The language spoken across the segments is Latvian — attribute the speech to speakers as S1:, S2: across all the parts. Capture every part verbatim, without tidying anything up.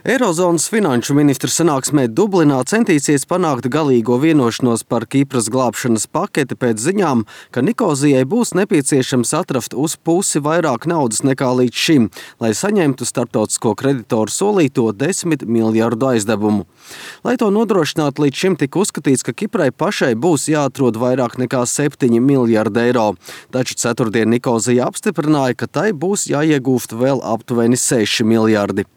S1: Eirozonas finanšu ministru sanāksmē Dublinā centīsies panākt galīgo vienošanos par Kipras glābšanas paketi pēc ziņām, ka Nikozijai būs nepieciešams atrast uz pusi vairāk naudas nekā līdz šim, lai saņemtu starptautisko kreditoru solīto desmit miljardu aizdevumu. Lai to nodrošinātu, līdz šim tika uzskatīts, ka Kiprai pašai būs jāatrod vairāk nekā septiņi miljardi eiro, taču ceturtdien Nikozija apstiprināja, ka tai būs jāiegūst vēl aptuveni seši miljardi.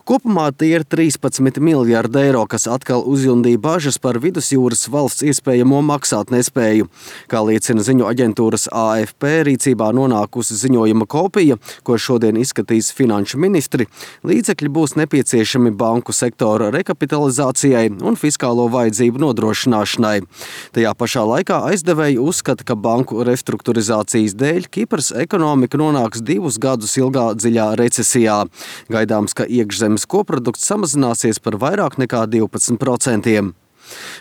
S1: Kopumā tie ir trīspadsmit miljardi eiro, kas atkal uzjundīja bažas par vidusjūras valsts iespējamo maksāt nespēju. Kā liecina ziņu aģentūras A F P rīcībā nonākusi ziņojuma kopija, ko šodien izskatīs finanšu ministri, līdzekļi būs nepieciešami banku sektora rekapitalizācijai un fiskālo vajadzību nodrošināšanai. Tajā pašā laikā aizdevēji uzskata, ka banku restruktūrizācijas dēļ Kipras ekonomika nonāks divus gadus ilgā dziļā recesijā. Gaidāms, ka iekšzemes koprodukts samazināsies par vairāk nekā divpadsmit procentiem.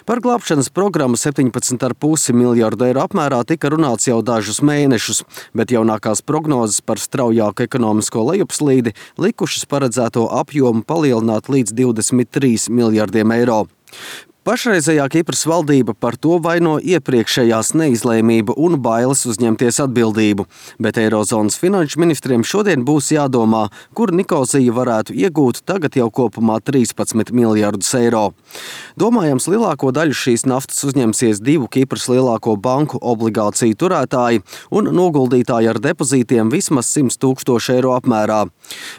S1: Par glābšanas programmu septiņpadsmit komats pieci miljardu eiro apmērā tika runāts jau dažus mēnešus, bet jaunākās prognozes par straujāku ekonomisko lejupslīdi likušas paredzēto apjomu palielināt līdz divdesmit trīs miljardiem eiro. Pašreizējā Kipras valdība par to vaino iepriekšējās neizlēmību un bailes uzņemties atbildību, bet Eirozonas finanšu ministriem šodien būs jādomā, kur Nikozija varētu iegūt tagad jau kopumā trīspadsmit miljardus eiro. Domājams, lielāko daļu šīs naftas uzņemsies divu Kipras lielāko banku obligāciju turētāji un noguldītāji ar depozītiem vismaz simt tūkstoši eiro apmērā.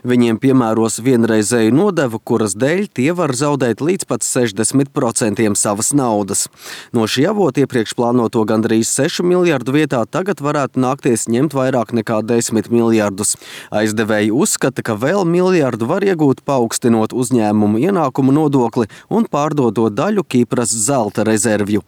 S1: Viņiem piemēros vienreizēju nodevu, kuras dēļ tie var zaudēt līdz pat sešdesmit procentiem savas naudas. No šī avota iepriekš plānoto gandrīz sešu miljardu vietā tagad varētu nākties ņemt vairāk nekā desmit miljardus. Aizdevēji uzskata, ka vēl miljardu var iegūt paaugstinot uzņēmumu ienākumu nodokli un pārdodot daļu Kipras zelta rezervju.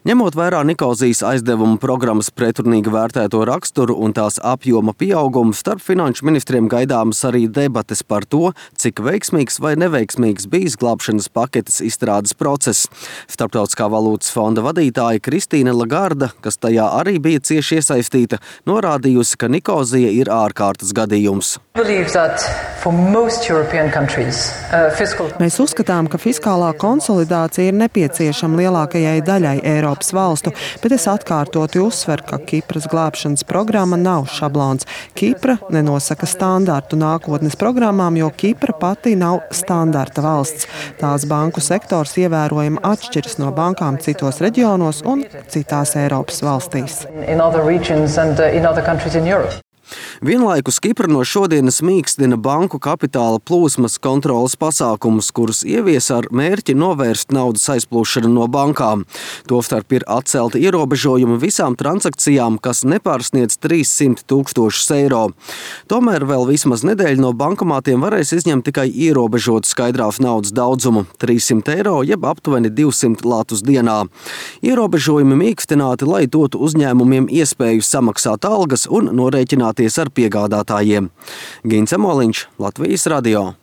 S1: Ņemot vērā Nikozijas aizdevumu programmas pretrunīgi vērtēto raksturu un tās apjoma pieaugumu, starp finanšu ministriem gaidāmas arī debates par to, cik veiksmīgs vai neveiksmīgs bijis glābšanas paketes izstrādes process. Starptautiskā valūtas fonda vadītāja Kristīne Lagarda, kas tajā arī bija cieši iesaistīta, norādījusi, ka Nikozija ir ārkārtas gadījums.
S2: Mēs uzskatām, ka fiskālā konsolidācija ir nepieciešama lielākajai daļai Eiropas valstu, bet es atkārtoti uzsveru, ka Kipras glābšanas programma nav šablons. Kipra nenosaka standartu nākotnes programmām, jo Kipra pati nav standarta valsts. Tās banku sektors ievērojami atšķiras no bankām citos reģionos un citās Eiropas valstīs.
S1: Vienlaikus Kipra no šodienas mīkstina banku kapitāla plūsmas kontrolas pasākumus, kurus ievies ar mērķi novērst naudas aizplūšanu no bankām. Tostarp ir atcelti ierobežojumi visām transakcijām, kas nepārsniedz trīssimt tūkstošus eiro. Tomēr vēl vismaz nedēļu no bankomātiem varēs izņemt tikai ierobežotu skaidrās naudas daudzumu – trīssimt eiro, jeb aptuveni divsimt latus dienā. Ierobežojumi mīkstināti, lai dotu uzņēmumiem iespēju samaksāt algas un norēķināties ar piegādātājiem. Gins Emoliņš, Latvijas radio.